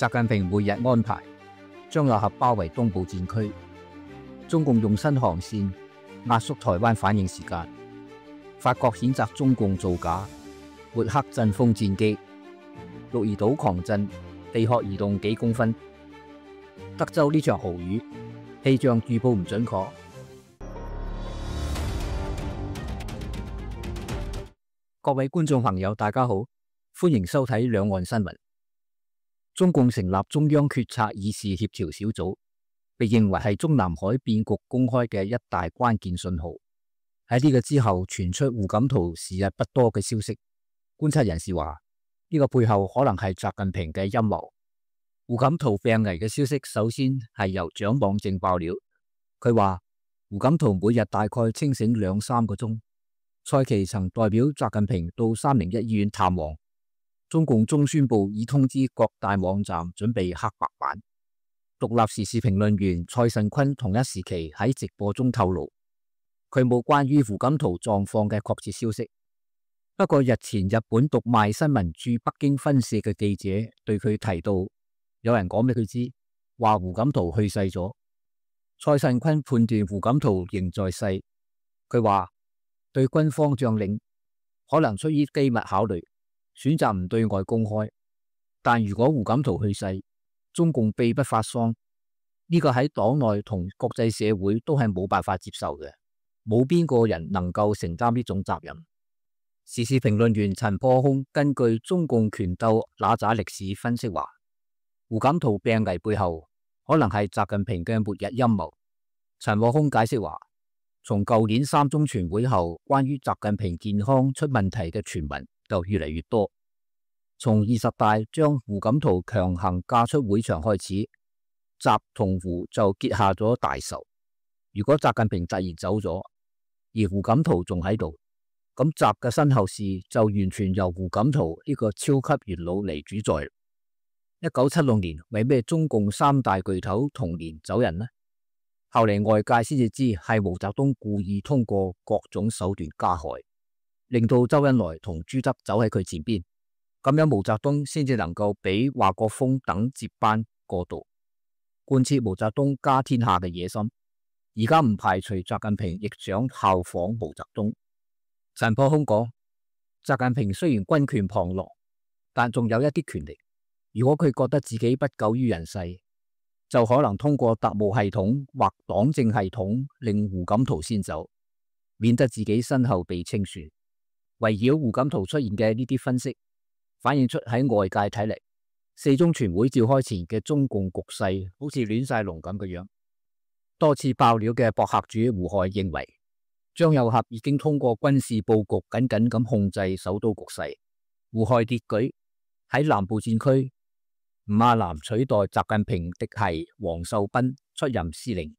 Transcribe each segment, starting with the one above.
習近平每日安排張又俠包圍東部戰區，中共用新航線壓縮台灣反應時間。法國譴責中共造假，抹黑陣風戰機。鹿兒島狂震，地殼移動幾公分。德州呢場豪雨，氣象預報唔準確。各位觀眾朋友，大家好，歡迎收睇兩岸新聞。中共成立中央決策議事協調小組，被認為係中南海變局公開嘅一大關鍵信號。喺呢個之後傳出胡錦濤時日不多嘅消息，觀察人士話呢個背後可能係習近平嘅陰謀。胡錦濤病危嘅消息首先係由蔣網正爆料，佢話胡錦濤每日大概清醒2-3個鐘。蔡奇曾代表習近平到301醫院探望。中共中宣部已通知各大網站準備黑白版。獨立時事評論員蔡慎坤同一時期喺直播中透露，佢冇關於胡錦濤狀況嘅確切消息。不過日前日本讀賣新聞駐北京分社嘅記者對佢提到，有人講俾佢知，話胡錦濤去世咗。蔡慎坤判斷胡錦濤仍在世，佢話對軍方將領可能出於機密考慮，選擇唔對外公開。但如果胡錦濤去世，中共秘不發喪，呢個喺黨內同國際社會都係冇辦法接受嘅，冇邊個人能夠承擔呢種責任。時事評論員陳破空根據中共權鬥那咋歷史分析話，胡錦濤病危背後可能係習近平嘅末日陰謀。陳破空解釋話，從舊年3中全會後，關於習近平健康出問題嘅傳聞就越嚟越多。從20大將胡錦濤強行架出會場開始，習同胡就結下咗大仇。如果習近平突然走咗，而胡錦濤仲喺度，咁習嘅身後事就完全由胡錦濤呢個超級元老嚟主宰。1976年為咩中共3大巨頭同年走人呢？後嚟外界先至知係毛澤東故意通過各種手段加害，令到周恩來同朱德走喺佢前邊，咁樣毛澤東先至能夠俾華國鋒等接班過渡，貫徹毛澤東家天下嘅野心。而家唔排除習近平亦想效仿毛澤東。陳破空講，習近平雖然軍權旁落，但仲有一啲權力。如果佢覺得自己不久於人世，就可能通過特務系統或黨政系統令胡錦濤先走，免得自己身後被清算。圍繞胡錦濤出現嘅呢啲分析，反映出喺外界睇嚟，4中全會召開前嘅中共局勢好似亂晒龍咁嘅樣。多次爆料嘅博客主胡亥認為，張又俠已經通過軍事佈局緊緊咁控制首都局勢。胡亥列舉喺南部戰區，吳亞南取代習近平嫡系王受斌出任司令；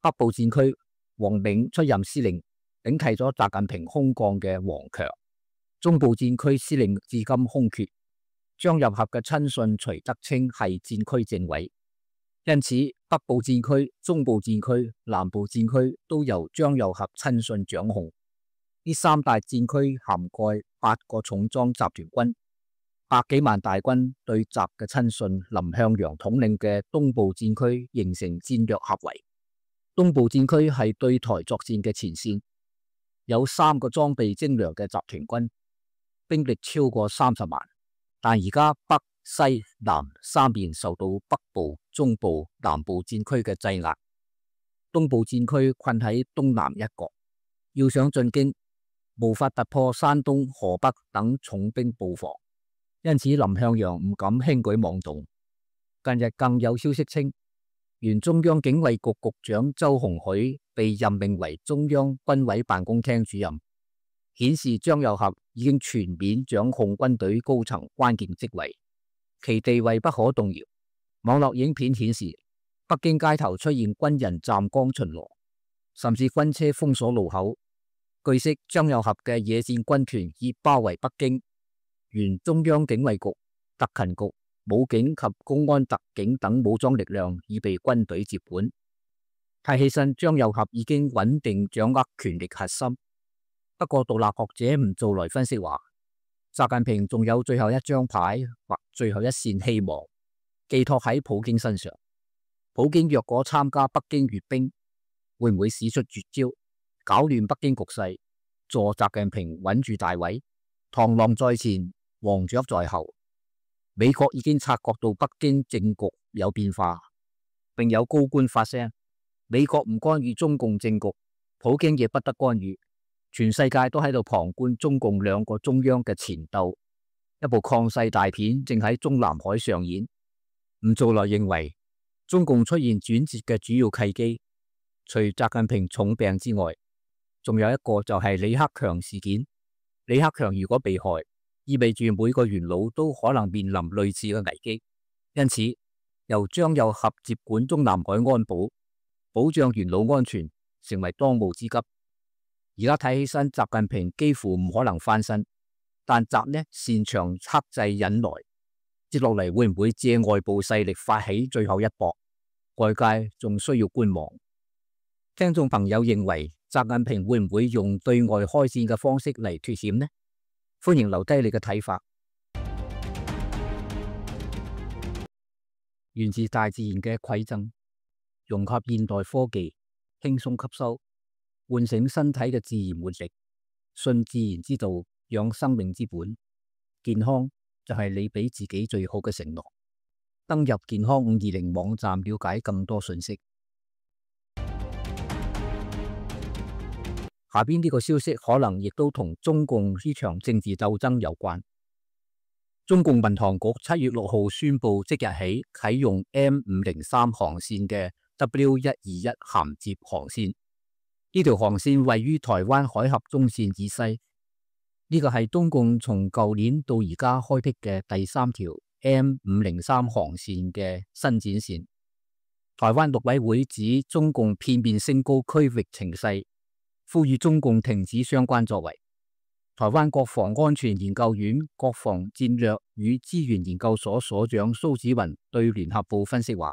北部戰區，王銘出任司令，頂替咗習近平空降嘅王強；中部戰區司令至今空缺，張又俠嘅親信徐德清係戰區政委，因此北部戰區、中部戰區、南部戰區都由張又俠親信掌控。呢3大戰區涵蓋8個重裝集團軍。100幾萬大軍對習嘅親信林向陽統領嘅東部戰區形成戰略合圍。東部戰區係對台作戰嘅前線，有3個裝備精良嘅集團軍，兵力超過30萬。但而家北、西、南3邊受到北部、中部、南部戰區嘅制壓，東部戰區困喺東南一角，要想進京，無法突破山東、河北等重兵布防。因此林向陽唔敢輕舉妄動。近日更有消息稱，原中央警衛局局長周鴻許被任命為中央軍委辦公廳主任，顯示張又俠已經全面掌控軍隊高層關鍵職位，其地位不可動搖。網絡影片顯示，北京街頭出現軍人站崗巡邏，甚至軍車封鎖路口。據悉，張又俠嘅野戰軍團已包圍北京。原中央警衛局、特勤局、武警及公安特警等武裝力量已被軍隊接管。睇起身張又俠已經穩定掌握權力核心。不過獨立學者吳做來分析話，習近平仲有最後一張牌或最後一線希望，寄託喺普京身上。普京若果參加北京閱兵，會唔會使出絕招，搞亂北京局勢，助習近平穩住大位？螳螂在前，黃雀在後。美國已經察覺到北京政局有變化，並有高官發聲：美國唔干預中共政局，普京亦不得干預。全世界都喺度旁觀中共兩個中央嘅纏鬥，一部抗世大片正喺中南海上演。吳鑿來認為，中共出現轉折嘅主要契機，除習近平重病之外，仲有一個就係李克強事件。李克強如果被害，意味住每個元老都可能面臨類似嘅危機，因此由張又俠接管中南海安保，保障元老安全，成為當務之急。而家睇起身，習近平幾乎唔可能翻身，但習呢擅長克制忍耐，接落嚟會唔會借外部勢力發起最後一搏？外界仲需要觀望。聽眾朋友認為，習近平會唔會用對外開戰嘅方式嚟脫險呢？歡迎留低你嘅睇法。源自大自然嘅饋贈，融合現代科技，輕鬆吸收，喚醒身體嘅自然活力，信自然之道，養生命之本。健康就係你俾自己最好嘅承諾。登入健康520網站了解更多信息。下邊呢個消息可能亦都同中共呢場政治鬥爭有關。中共民航局7月6號宣布，即日起啟用 M503 航線嘅 W121 銜接航線。呢條航線位於台灣海峽中線以西。呢個係中共從舊年到而家開闢嘅第3條 M503 航線嘅伸展線。台灣陸委會指中共片面升高區域情勢，呼籲中共停止相關作為。台灣國防安全研究院國防戰略與資源研究所所長蘇紫雲對聯合報分析話，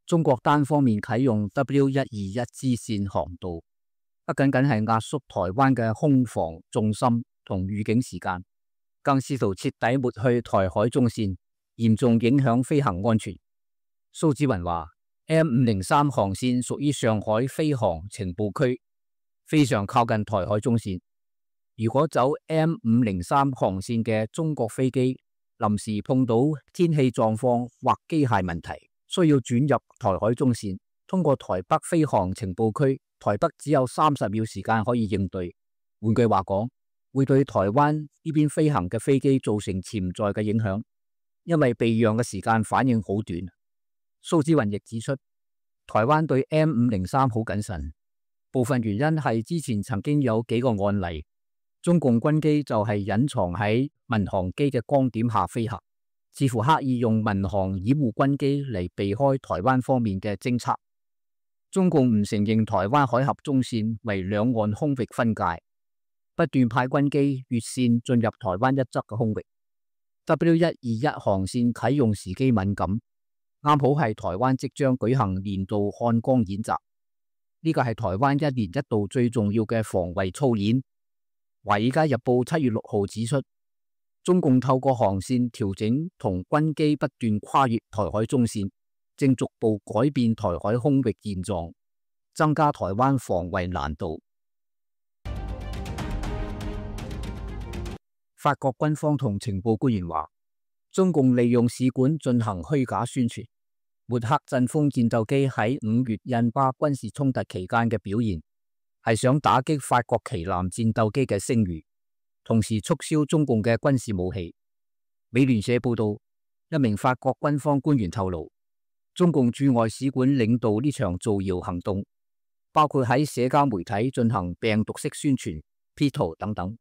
中國單方面啟用 W121 支線航道，不僅僅係壓縮台灣嘅空防重心同預警時間，更試圖徹底抹去台海中線，嚴重影響飛行安全。蘇紫雲話 M503 航線屬於上海飛航情報區，非常靠近台海中線。如果走 M503 航線嘅中國飛機臨時碰到天氣狀況或機械問題，需要轉入台海中線，通過台北飛航情報區，台北只有30秒時間可以應對。換句話講，會對台灣呢邊飛行嘅飛機造成潛在嘅影響，因為避讓嘅時間反應好短。蘇紫雲亦指出，台灣對 M503 好謹慎，部分原因係之前曾經有幾個案例，中共軍機就係隱藏喺民航機嘅光點下飛行，似乎刻意用民航掩護軍機嚟避開台灣方面嘅偵測。中共唔承認台灣海峽中線為兩岸空域分界，不斷派軍機越線進入台灣一側嘅空域。W121 航線啟用時機敏感，啱好係台灣即將舉行年度漢光演習，呢個係台灣1年1度最重要嘅防衛操演。華爾街日報7月6號指出，中共透過航線調整同軍機不斷跨越台海中線，正逐步改變台海空域現狀，增加台灣防衛難度。法國軍方同情報官員話，中共利用使館進行虛假宣傳，抹黑陣風戰鬥機喺5月印巴軍事衝突期間嘅表現，係想打擊法國旗艦戰鬥機嘅聲譽，同時促銷中共嘅軍事武器。美聯社報道，一名法國軍方官員透露，中共駐外使館領導呢場造謠行動，包括喺社交媒體進行病毒式宣傳、P 圖等等。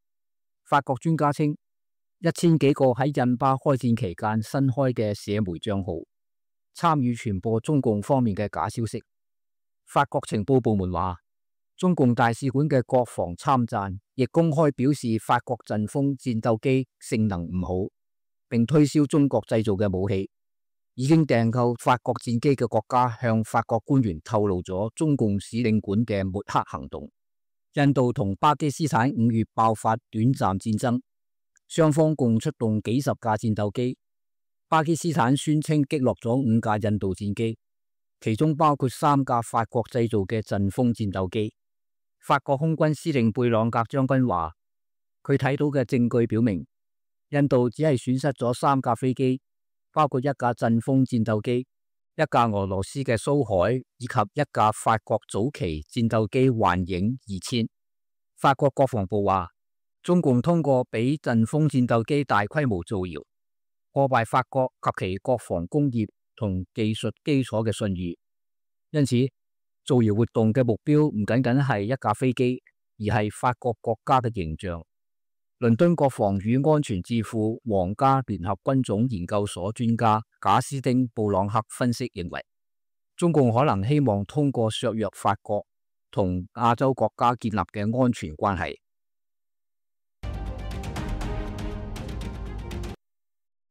法國專家稱，1000幾個喺印巴開戰期間新開嘅社媒賬號，參與傳播中共方面嘅假消息。法國情報部門話，中共大使館嘅國防參贊亦公開表示法國陣風戰鬥機性能唔好，並推銷中國製造嘅武器。已經訂購法國戰機嘅國家向法國官員透露咗中共使領館嘅抹黑行動。印度同巴基斯坦5月爆發短暫戰爭，雙方共出動幾十架戰鬥機。巴基斯坦宣稱擊落咗5架印度戰機，其中包括3架法國製造嘅陣風戰鬥機。法國空軍司令貝朗格將軍話，佢睇到嘅證據表明，印度只係損失咗3架飛機，包括1架陣風戰鬥機、1架俄羅斯嘅蘇海以及1架法國早期戰鬥機幻影2000。法國國防部話，中共通過俾陣風戰鬥機大規模造謠，破壞法國及其國防工業同技術基礎嘅信譽。因此，造謠活動嘅目標唔僅僅係1架飛機，而係法國國家嘅形象。倫敦國防與安全智庫皇家聯合軍種研究所專家賈斯丁布朗克分析認為，中共可能希望通過削弱法國同亞洲國家建立嘅安全關係。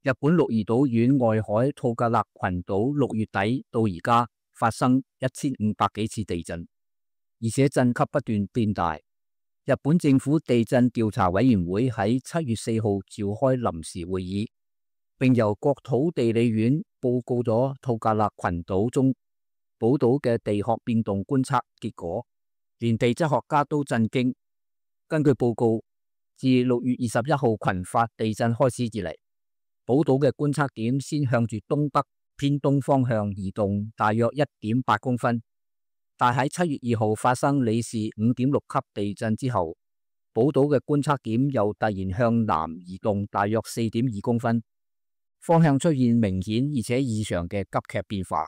日本鹿兒島縣外海吐格勒群島6月底到而家發生1500幾次地震，而且震級不斷變大。日本政府地震調查委員會喺7月4號召開臨時會議，並由國土地理院報告咗吐格勒群島中寶島嘅地殼變動觀測結果，連地質學家都震驚。根據報告，自6月21號群發地震開始以嚟，寶島嘅觀測點先向住東北偏東方向移動大約1.8公分。但喺7月2號發生里氏5.6級地震之後，寶島嘅觀測點又突然向南移動大約4.2公分，方向出現明顯而且異常嘅急劇變化。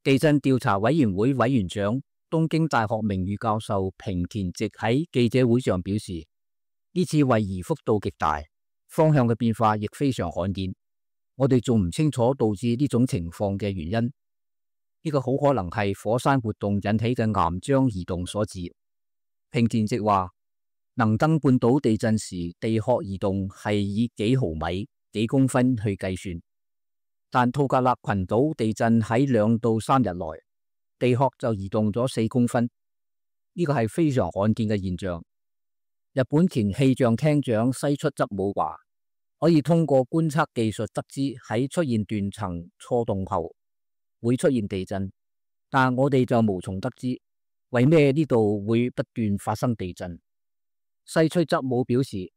地震調查委員會委員長東京大學名譽教授平田直喺記者會上表示，呢次位移幅度極大，方向嘅變化亦非常罕見，我哋仲唔清楚導致呢種情況嘅原因。呢個好可能係火山活動引起嘅岩漿移動所致。平田直話，能登半島地震時地殼移動係以幾毫米、幾公分去計算，但吐格勒群島地震喺2到3日內，地殼就移動咗4公分，呢個係非常罕見嘅現象。日本前氣象廳長西出則武話，可以通過觀測技術得知喺出現斷層錯動後會出現地震，但我哋就無從得知為咩呢度會不斷發生地震。西出則武表示，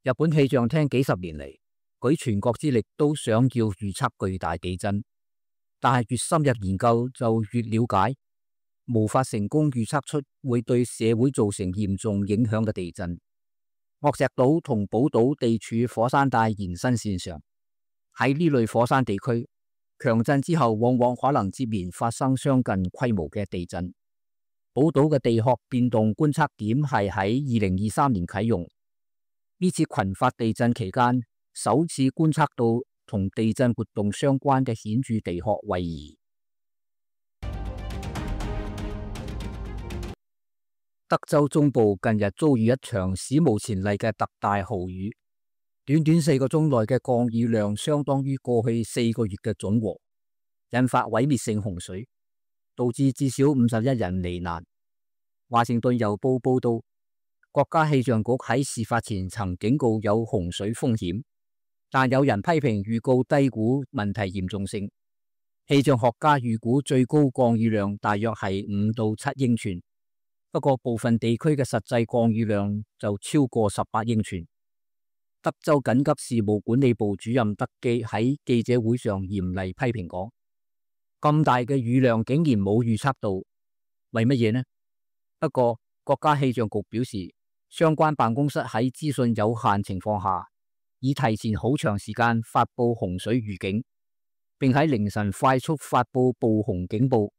日本氣象廳幾十年嚟舉全國之力都想要預測巨大地震，但係越深入研究就越了解，無法成功預測出會對社會造成嚴重影響嘅地震。岳石島同寶島地處火山帶延伸線上，喺呢類火山地區，強震之後往往可能接連發生相近規模嘅地震。寶島嘅地殼變動觀測點係喺2023年啟用，呢次群發地震期間首次觀測到同地震活動相關嘅顯著地殼位移。德州中部近日遭遇一場史無前例嘅特大豪雨，短短4個鐘內嘅降雨量相當於過去4個月嘅總和，引發毀滅性洪水，導致至少51人罹難。華盛頓郵報報道，國家氣象局喺事發前曾警告有洪水風險，但有人批評預告低估問題嚴重性。氣象學家預估最高降雨量大約係5到7英寸，不過部分地區嘅實際降雨量就超過18英寸。德州緊急事務管理部主任德基喺記者會上嚴厲批評講，咁大嘅雨量竟然冇預測到，為乜嘢呢？不過國家氣象局表示，相關辦公室喺資訊有限情況下，已提前好長時間發布洪水預警，並喺凌晨快速發布暴洪警報，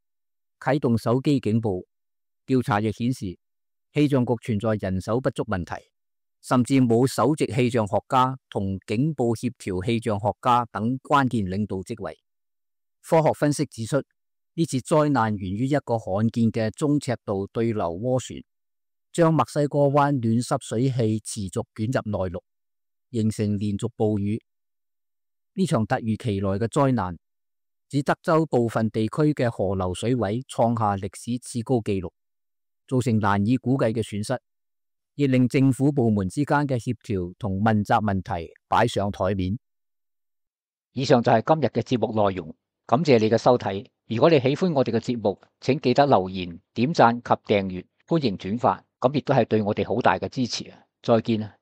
啟動手機警報。調查亦顯示，氣象局存在人手不足問題，甚至冇首席氣象學家同警報協調氣象學家等關鍵領導職位。科學分析指出，呢次災難源於一個罕見嘅中尺度對流渦旋，將墨西哥灣暖濕水氣持續捲入內陸，形成連續暴雨。呢場突如其來嘅災難，指德州部分地區嘅河流水位創下歷史次高紀錄，造成難以估計嘅損失，亦令政府部門之間嘅協調同問責問題擺上台面。以上就係今日嘅節目內容，感謝你嘅收睇。如果你喜歡我哋嘅節目，請記得留言、點讚及訂閱，歡迎轉發，咁亦都係對我哋好大嘅支持啊！再見啊！